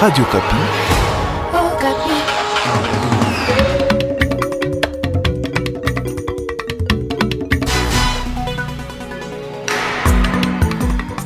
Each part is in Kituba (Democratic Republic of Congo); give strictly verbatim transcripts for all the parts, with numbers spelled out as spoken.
Radio Okapi. Okapi.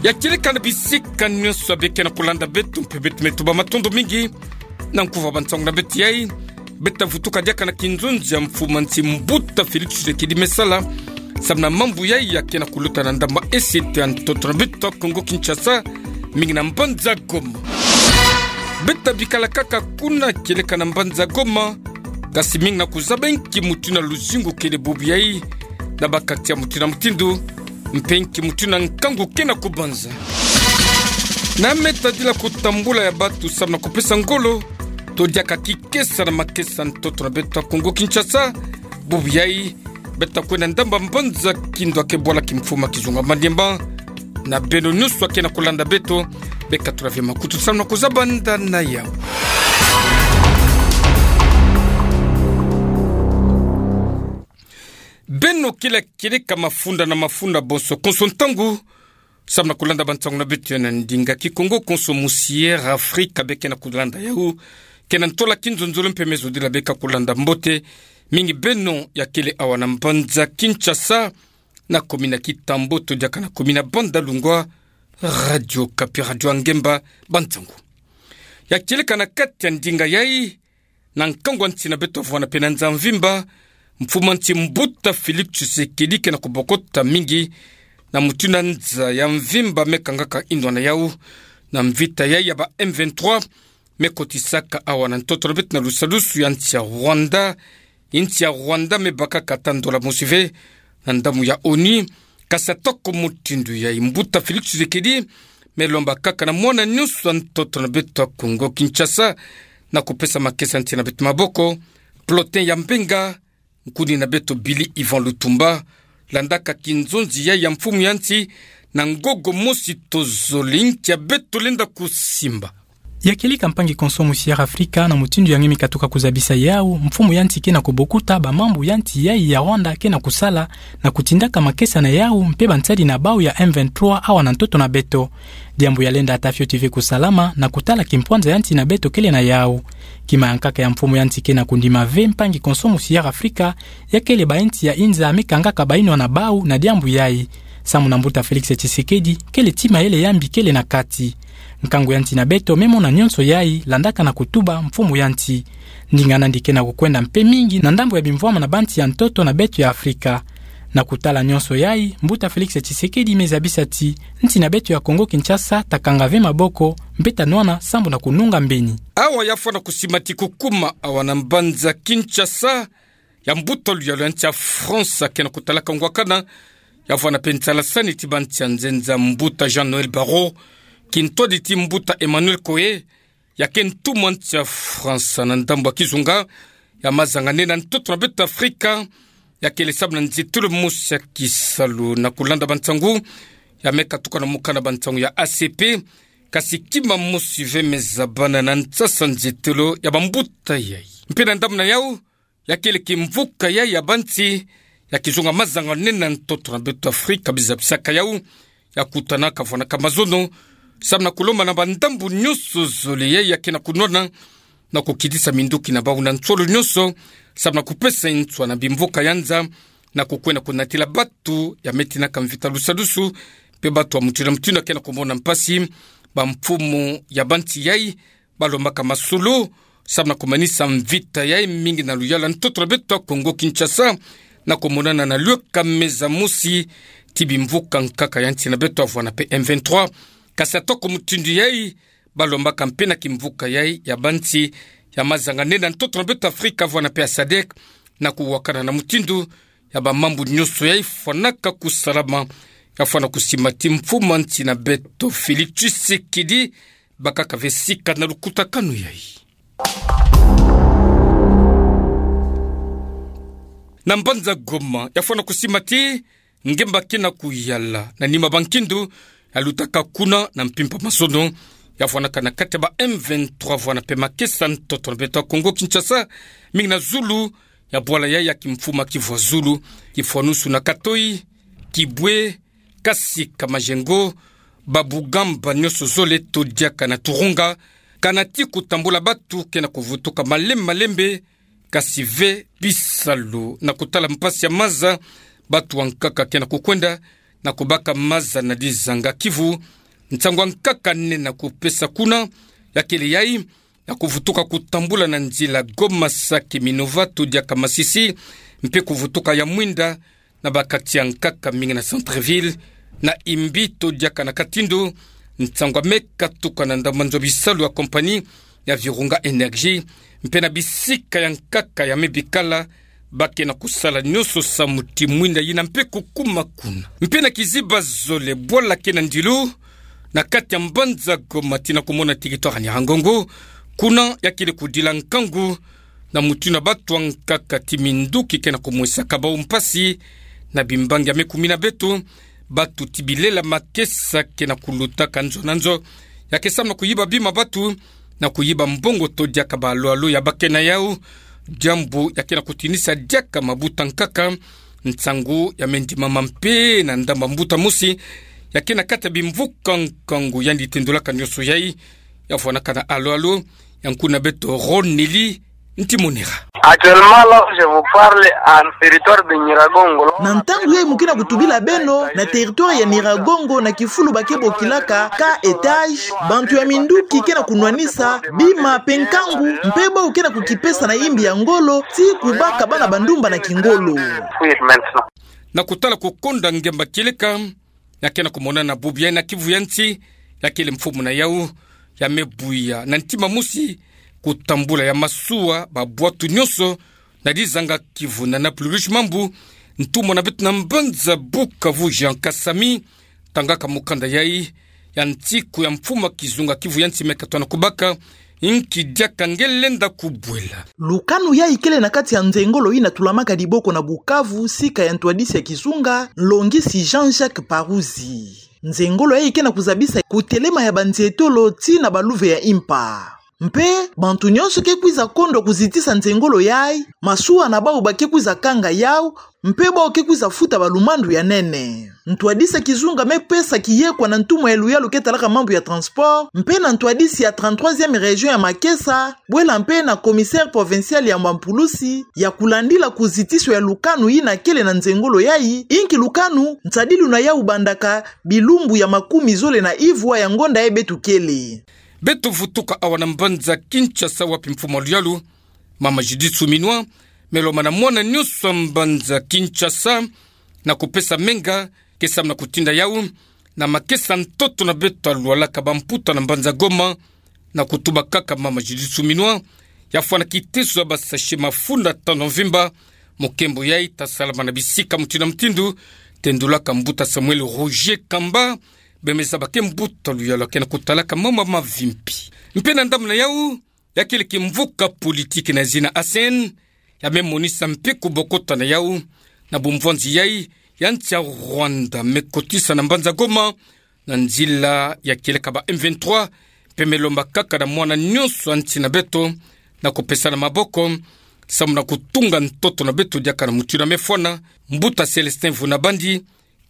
Ya kieleka na bisika nyonso ya beke na kolanda beto, mpe beto me tuba matondo mingi na nkuva ba nsangu na beto yai. Beta vutuka diaka na kinzonzi ya mfumu ya nsi Mbuta Félix Tshisekedi me sala samu na mambu yai ya ke na kuluta na ndambu esi ya ntoto na beto Kongo Kinshasa, mingi na mbanza Goma. Beta bikala kaka kuna kieleka na mbanza Goma, kasi mingi na kuzaba nki mutindu na luzingu kele bubu yai, na ba quartier mutindu na mutindu, mpe nki mutindu na nkangu ke na kubanza. Na me tadila kutambula ya batu samu na kupesa ngolo, to diaka kikesa na makesa ntoto na beto Kongo Kinshasa, bubu yai, beta kwenda ndambu ya mbanza Kindu ya ke bwala kimfumu ya kizunga Maniema. Na beno nyonso ya ke na kolanda beto, beka tulave makutu samu na kuzaba nda na yau. Beno kele kieleka mafunda na mafunda bonso konso ntangu, samu na kolanda ba nsangu na beto ya na ndinga Kikongo konso musi Air Africa beke na kolanda yau, ke na ntola kinzonzolo mpe me zodila beka kolanda mbote, mingi beno ya kele awa na mbanza Kinshasa, na commune ya Kitambo to diaka na commune ya Bandalungwa. Radio Okapi, radio ya ngemba, ba nsangu. Ya kieleka na kati ya ndinga yai, na nkangu ya nsi na beto vwanda mpe na nza mvimba, mfumu ya nsi Mbuta Félix Tshisekedi ke na kubokota mingi na mutindu nza ya mvimba me kangaka inwa na yau, na mvita yai ya ba M vingt-trois me kotisaka awa na ntoto na beto na lusalusu ya nsi ya Rwanda. Nsi ya Rwanda me bakaka ata ndola mosi ve na ndambu ya ONU, kasi atako mutindu yai, Mbuta Félix Tshisekedi me lomba kaka na mwana nyonso ya ntoto na beto ya Kongo Kinshasa na kupesa makesa nsi na beto maboko. Plotin ya Mbenga, nkuni na beto Billy Yvan Lutumba, landaka kinzonzi yai ya mfumu ya nsi, na ngogo mosi tozole, nki ya beto lenda kusimba. Ya kieleka mpangi konso musi Air Africa, na mutindu ya nge me katuka kuzabisa yau, mfumu ya nsi ke na kubokuta ba mambu ya nsi yai ya Rwanda ke na kusala, na kutindaka makesa na yau mpe ba nsadi na bau ya M vingt-trois awa na ntoto na beto. Diambu ya lenda ata fioti ve kusalama na kutala kimpwanza ya nsi na beto kele na yau. Kima ya nkaka ya mfumu ya nsi ke na kundima ve, mpangi konso musi Air Africa, ya kele ba nsi ya inza me kangaka ba inwa na bau na diambu yai. Samu na Mbuta Félix Tshisekedi, kele ti mayele ya mbi kele na kati. Nkangu ya nsi na beto me mona nyonso yai, landaka na kutuba mfumu ya nsi. Ndinga nandi ke na kukwenda mpe mingi na ndambu ya bimvwama na ba nsi ya ntoto na beto ya Africa. Na kutala nyonso yai, Mbuta Félix Tshisekedi me zabisa ti nsi na beto ya Kongo Kinshasa ta kanga ve maboko, mpe ta nwana sambu na kununga mbeni. Awa ya fwana kusimati kukuma awa na mbanza Kinshasa, ya mbuta luyalu ya nsi ya France ke na kutalaka ngwakana, ya fwana mpe nsalasani ti ba nsi ya nzenza, Mbuta Jean-Noël Barrot, kintwadi ti Mbuta Emmanuel Koé, ya ke ntumwa nsi ya France na ndambu ya kizunga ya mazanga nene na ntoto na beto Afrika, ya kele samu na nzietelo mosi ya kisalu. Na kulanda ba nsangu, ya me katuka na mukanda ba nsangu ya A C P, kasi kima mosi ve me zabana na nsasa nzietelo ya bambuta yai. Mpe na ndambu na yau, ya kele kimvuka yai ya ba nsi ya kizunga mazanga nene na ntoto na beto Afrika, biza bisaka yau, ya kutanaka, fwanaka mazono, samu na kulomba na bandambu nyonso zole yai ya ke na kunwana, na kukitisa minduki na bau na nsolo nyonso, samu na kupesa nswa na bimvuka ya nza, na kukwenda kunatila batu ya me tinaka mvita lusalusu, mpe batu ya mutindu na mutindu ya ke na kumona mpasi. Bamfumu ya ba nsi yai, balombaka masolo samu na kumanisa mvita yai, mingi na luyalu ya ntoto na beto Kongo Kinshasa, na kumonana na lweka meza mosi ti bimvuka nkaka ya nsi na beto, fwana mpe M vingt-trois. Kasi atako mutindu yai, balombaka mpe na kimvuka yai ya ba nsi ya mazanga nene na ntoto na beto Afrika, fwana mpe ya sadek, na kuwakana na mutindu ya bamambu nyonso yai fwanaka kusalama, ya fwana kusimati mfumu ya nsi na beto Félix Tshisekedi, bakaka ve sika na lukutakanu yai. Na mbanza Goma, ya fwana kusimati ngemba ke na kuyala na nima ba nkindu ya lutaka kuna na mpimpa mazono, ya fwanaka na kati ya ba M vingt-trois, fwana mpe makesa ntoto na beto Kongo Kinshasa, mingi na zulu ya bwala yai ya kimfumu ya Kivu ya Zulu, kifwanusu na Katoyi, Kibwe, Kasika, Majengo, Babugamba nyonso zole, to diaka na Turunga, Kana ti kutambula batu ke na kuvutuka malembe malembe, kasi ve bisalu na kutala mpasi ya maza, batu ankaka ke na kukwenda na kubaka maza na dizanga Kivu. Nsangu ankaka nene na kupesa kuna, ya kele yai, na kuvutuka kutambula na nzila Goma, Sake, Minova, to diaka Masisi, mpe kuvutuka ya mwinda na ba quartier ankaka mingi na centre-ville, na imbi to diaka na Katindo. Nsangu ya me katuka na ndambu ya nzo bisalu ya compagnie ya Virunga Energy, mpe na bisika ya nkaka ya me bikala, ba ke na kusala nyonso samu ti mwinda yina mpe kukuma kuna. Mpe na kiziba zole bwala ke na ndilu na kati ya mbanza Goma tii na kumona territoire ya Nyiragongo, kuna ya kele kudila nkangu na mutindu batu ankaka ti minduki ke na kumwesaka bau mpasi na bimbangi ya me kumina beto, batu ti bilela makesa ke na kulutaka nzo na nzo, ya ke samu na kuyiba bima batu, na kuyiba mbongo to diaka ba alo-alo ya ba ke na yau, diambu ya ke na kutinisa diaka mabuta ankaka. Nsangu ya me ndimama mpe na ndambu ya mbuta mosi ya ke na kati ya bimvuka nkangu yandi tendulaka nyonso yai, ya vwanaka na alo-alo, ya nkuna beto Ronelly Ntimonera. Actuellement, là où je vous parle, en territoire de Nyiragongo. Na ntangu yai mu ke na kutubila beno, na territoire ya Nyiragongo, na kifulu ba ke bokilaka K étage, bantu ya minduki ke na kunwanisa bima mpe nkangu, mpe bau ke na kukipesa na imbi ya ngolo, ti kubaka bana bandumba na kingolo. Na kutala kukonda ngemba kieleka, ya ke na kumonana bubu yai na Kivu ya nsi, ya kele mfumu na yau ya me buya na ntima mosi kutambula ya masuwa, ba bwatu nyonso na dizanga Kivu na Nord-Kivu, mambu ntumwa na beto na mbanza Bukavu Jean Kasami, tangaka mukanda yai ya nsiku ya mfumu ya kizunga Kivu ya nsi me katoa na kubaka, inki diaka nge lenda kubwela. Lukanu yai kele na kati ya nzengolo yina tulamaka Diboko na Bukavu, sika ya ntwadisi ya kizunga, nlongisi Jean-Jacques Parouzi. Nzengolo yai ke na kuzabisa kutelema ya banzietolo tii na baluve ya impa. Mpe bantu nyonso ke kwiza kondwa kuzitisa nzengolo yai, masuwa na bau ba ke kwiza kanga yau, mpe bau ke kwiza futa balumandu ya nene. Ntwadisi ya kizunga me pesa kiyekwa na ntumwa ya luyalu ke talaka mambu ya transport, mpe na ntwadisi ya trente-troisième région ya makesa, bwela mpe na commissaire provincial ya mampulusi, ya kulandila kuzitiso ya lukanu yina kele na nzengolo yai, inki lukanu, nsadilu na yau bandaka bilumbu ya makumi zole na ivwa ya ngonda yai beto kele. Beto vutuka awa na mbanza Kinshasa, wapi mfumu ya luyalu, mama Judith Suminwa, me lomba na mwana nyonso ya mbanza Kinshasa na kupesa menga, ke samu na kutinda yau na makesa ntoto na beto alwalaka bamputa na mbanza Goma, na kutuba kaka mama Judith Suminwa ya fwana kiteso ya ba sachet mafunda tanu mvimba. Mukembo yai ta salama na bisika mutindu na mutindu, tendulaka mbuta Samuel Roger Kamba, bemeza ba ke mbuta luyalu ke na kutalaka mama mavimpi. Mpe na ndambu na yau, ya kele kimvuka politiki na zina ACN, ya me monisa mpe kubokota na yau na bumvwanzi yai ya nsi ya Rwanda me kotisa na mbanza Goma, na nzila ya kieleka ba M vingt-trois, mpe me lomba kaka na mwana nyonso ya nsi na beto na kupesana maboko, samu na kutunga ntoto na beto diaka na mutindu ya me fwana. Mbuta Célestin Vunabandi,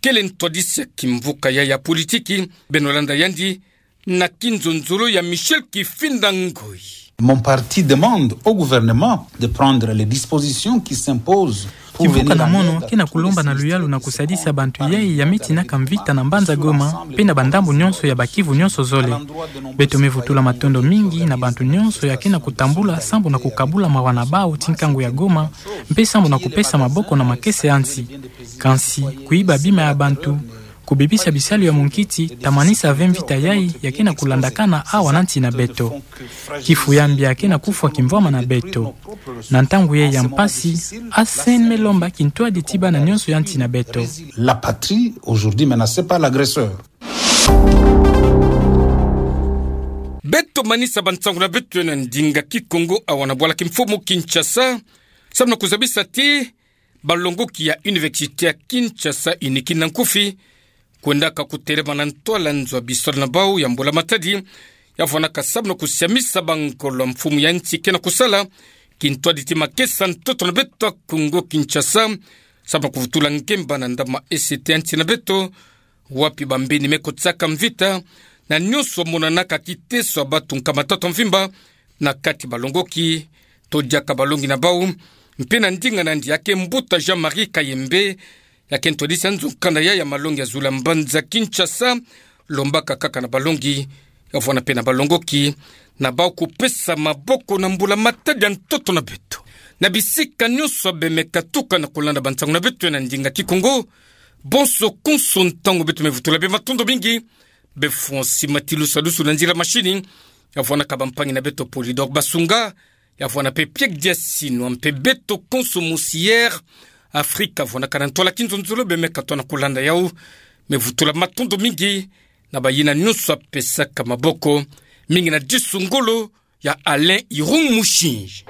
kele ntwadisi ya kimvuka yai ya politiki, beno landa yandi na kinzonzolo ya Michel Kifinda Ngoi. Mon parti demande au gouvernement de prendre les dispositions qui s'imposent pour venir en aide à tous les sinistrés. Kimvuka na mono ke na kulomba na luyalu na kusadisa bantu yai ya me tinaka mvita na mbanza Goma, mpe na bandambu nyonso ya Bas-Kivu nyonso zole. Beto me vutula matondo mingi na bantu nyonso ya ke na kutambula sambu na kukabula mawa na bau ti nkangu ya Goma, mpe sambu na kupesa maboko na makesa ya nsi. Kansi, kuyiba bima ya bantu, kubebisa bisalu ya munkiti, ta manisa ve mvita yai ya ke na kulandakana awa na nsi na beto. Kifu ya mbi ya ke na kufwa kimvwama na beto. Na ntangu yai ya mpasi, ACN me lomba kintwadi ti bana nyonso ya nsi na beto. La patrie aujourd'hui menacée par l'agresseur. Beto manisa bansangu na beto na ndinga Kikongo awa na bwala kimfumu Kinshasa, samu na kuzabisa ti balongoki ya Université ya Kinshasa, UNIKI na nkufi, kwendaka kutelema na ntwala nzo ya bisalu na bau ya Mbula Matadi, ya vwanaka samu na kusiamisa bangolo ya mfumu ya nsi ke na kusala, kintwadi ti makesa ntoto na beto ya Kongo Kinshasa, samu na kuvutula ngemba na ndambu ma E C T ya nsi na beto, wapi bambeni me kotisaka mvita na nyonso amonanaka kiteso ya batunka matata mvimba na kati balongoki. Todiaka balongi na bau mpe na ndinga nandi ya ke mbuta Jean-Marie Kayembe, ya ke ntwadisi ya nzo nkanda ya ya malongi ya zulu ya mbanza Kinshasa, lombaka kaka na balongi, ya vwanda mpe na balongoki, na bau kupesa maboko na mbula-matadi ya ntoto na beto na bisika nyonso ya bemeka tuka na kulanda bansangu na beto ya na ndinga Kikongo. Bonso konso ntangu beto me vutula bê, matondo mingi. Bê Francis Matilu Salusu na nzila machine, ya vwandaka bampangi na beto Polydor Basunga, ya vwanda mpe Piek Diasino, mpe beto konso mosi Air Afrique, ya vwandaka na ntwala kinzonzolo, bemeka tona kulanda yau. Me vutula matondo mingi na bayina nyonso ya pesaka maboko, mingi na disu ngolo ya Alain Irung Mushinji.